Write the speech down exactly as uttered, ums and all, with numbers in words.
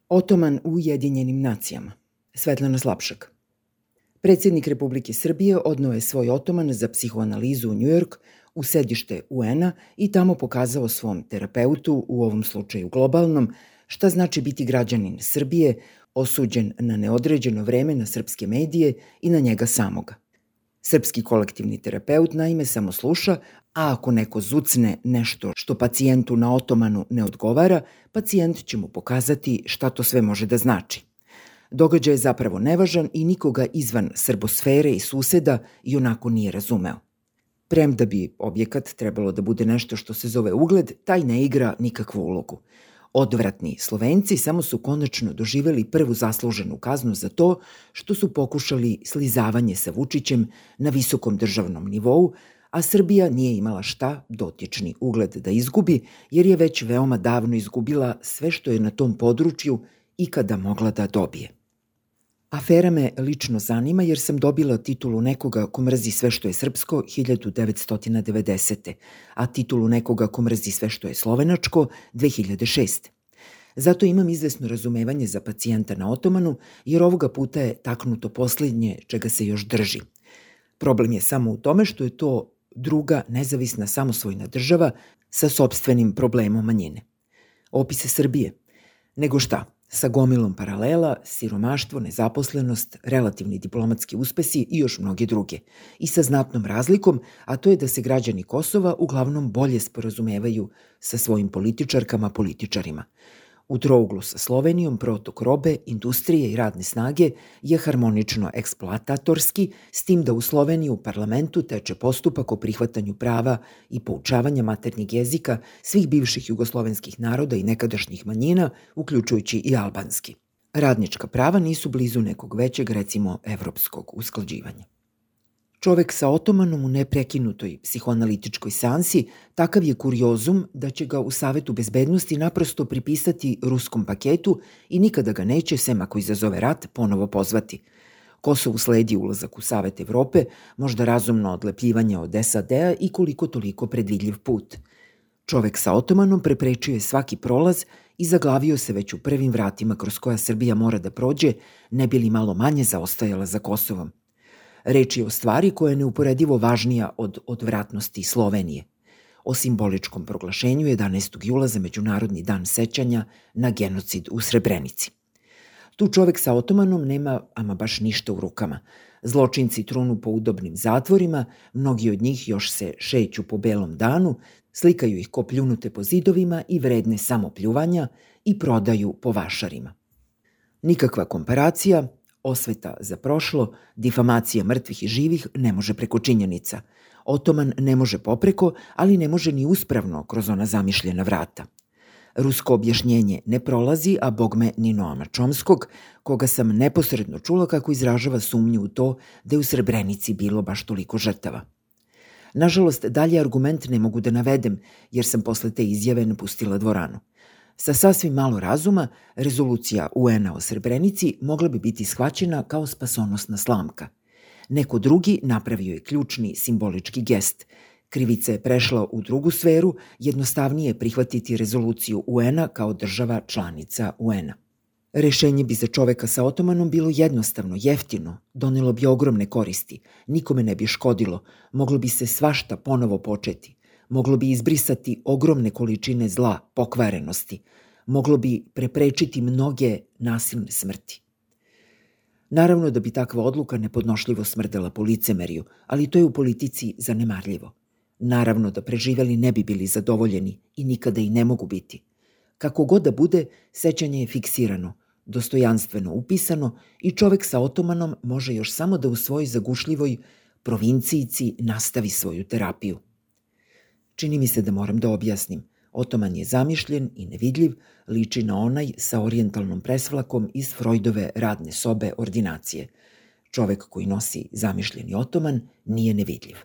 Otoman u Ujedinjenim nacijama. Svetlana Slapšak. Predsjednik Republike Srbije odneo je svoj otoman za psihoanalizu u Njujork, u sedište U N-a i tamo pokazao svom terapeutu, u ovom slučaju globalnom, šta znači biti građanin Srbije, osuđen na neodređeno vreme na srpske medije i na njega samoga. Srpski kolektivni terapeut naime samo sluša, a ako neko zucne nešto što pacijentu na otomanu ne odgovara, pacijent će mu pokazati šta to sve može da znači. Događaj je zapravo nevažan i nikoga izvan srbosfere i suseda i onako nije razumeo. Premda bi objekat trebalo da bude nešto što se zove ugled, taj ne igra nikakvu ulogu. Odvratni Slovenci samo su konačno doživeli prvu zasluženu kaznu za to što su pokušali slizavanje sa Vučićem na visokom državnom nivou, a Srbija nije imala šta dotični ugled da izgubi, jer je već veoma davno izgubila sve što je na tom području ikada mogla da dobije. Afera me lično zanima jer sam dobila titulu nekoga ko mrzi sve što je srpsko hiljadu devetsto devedesete. a titulu nekoga ko mrzi sve što je slovenačko dve hiljade šeste. Zato imam izvesno razumevanje za pacijenta na otomanu, jer ovoga puta je taknuto posljednje čega se još drži. Problem je samo u tome što je to druga nezavisna samosvojna država sa sopstvenim problemom manjine. Opise Srbije. Nego šta? Sa gomilom paralela, siromaštvo, nezaposlenost, relativni diplomatski uspesi i još mnoge druge. I sa znatnom razlikom, a to je da se građani Kosova uglavnom bolje sporazumevaju sa svojim političarkama, političarima. U trouglu sa Slovenijom protok robe, industrije i radne snage je harmonično eksploatatorski, s tim da u Sloveniji u parlamentu teče postupak o prihvatanju prava i poučavanja maternjeg jezika svih bivših jugoslovenskih naroda i nekadašnjih manjina, uključujući i albanski. Radnička prava nisu blizu nekog većeg, recimo, evropskog usklađivanja. Čovek sa otomanom u neprekinutoj psihoanalitičkoj seansi takav je kuriozum da će ga u Savetu bezbednosti naprosto pripisati ruskom paketu i nikada ga neće, sem ako izazove rat, ponovo pozvati. Kosovu sledi ulazak u Savet Evrope, možda razumno odlepljivanje od S A D-a i koliko toliko predvidljiv put. Čovek sa otomanom preprečio je svaki prolaz i zaglavio se već u prvim vratima kroz koja Srbija mora da prođe, ne bi li malo manje zaostajala za Kosovom. Reč je o stvari koja je neuporedivo važnija od odvratnosti Slovenije. O simboličkom proglašenju jedanaestog jula za Međunarodni dan sećanja na genocid u Srebrenici. Tu čovek sa otomanom nema ama baš ništa u rukama. Zločinci trunu po udobnim zatvorima, mnogi od njih još se šeću po belom danu, slikaju ih ko pljunute po zidovima i vredne samo pljuvanja i prodaju po vašarima. Nikakva komparacija, osveta za prošlo, difamacija mrtvih i živih ne može preko činjenica. Otoman ne može popreko, ali ne može ni uspravno kroz ona zamišljena vrata. Rusko objašnjenje ne prolazi, a bogme ni Noama Čomskog, koga sam neposredno čula kako izražava sumnju u to da je u Srebrenici bilo baš toliko žrtava. Nažalost, dalje argument ne mogu da navedem, jer sam posle te izjave napustila dvoranu. Sa sasvim malo razuma, rezolucija U N-a o Srebrenici mogla bi biti shvaćena kao spasonosna slamka. Neko drugi napravio je ključni simbolički gest. Krivica je prešla u drugu sferu, jednostavnije je prihvatiti rezoluciju U N-a kao država članica U N-a. Rešenje bi za čoveka sa otomanom bilo jednostavno, jeftino, donelo bi ogromne koristi, nikome ne bi škodilo, moglo bi se svašta ponovo početi. Moglo bi izbrisati ogromne količine zla, pokvarenosti. Moglo bi preprečiti mnoge nasilne smrti. Naravno da bi takva odluka nepodnošljivo smrdela po licemerju, ali to je u politici zanemarljivo. Naravno da preživeli ne bi bili zadovoljeni i nikada i ne mogu biti. Kako god da bude, sećanje je fiksirano, dostojanstveno upisano i čovek sa otomanom može još samo da u svojoj zagušljivoj provincijici nastavi svoju terapiju. Čini mi se da moram da objasnim. Otoman je zamišljen i nevidljiv, liči na onaj sa orijentalnom presvlakom iz Freudove radne sobe ordinacije. Čovek koji nosi zamišljeni otoman nije nevidljiv.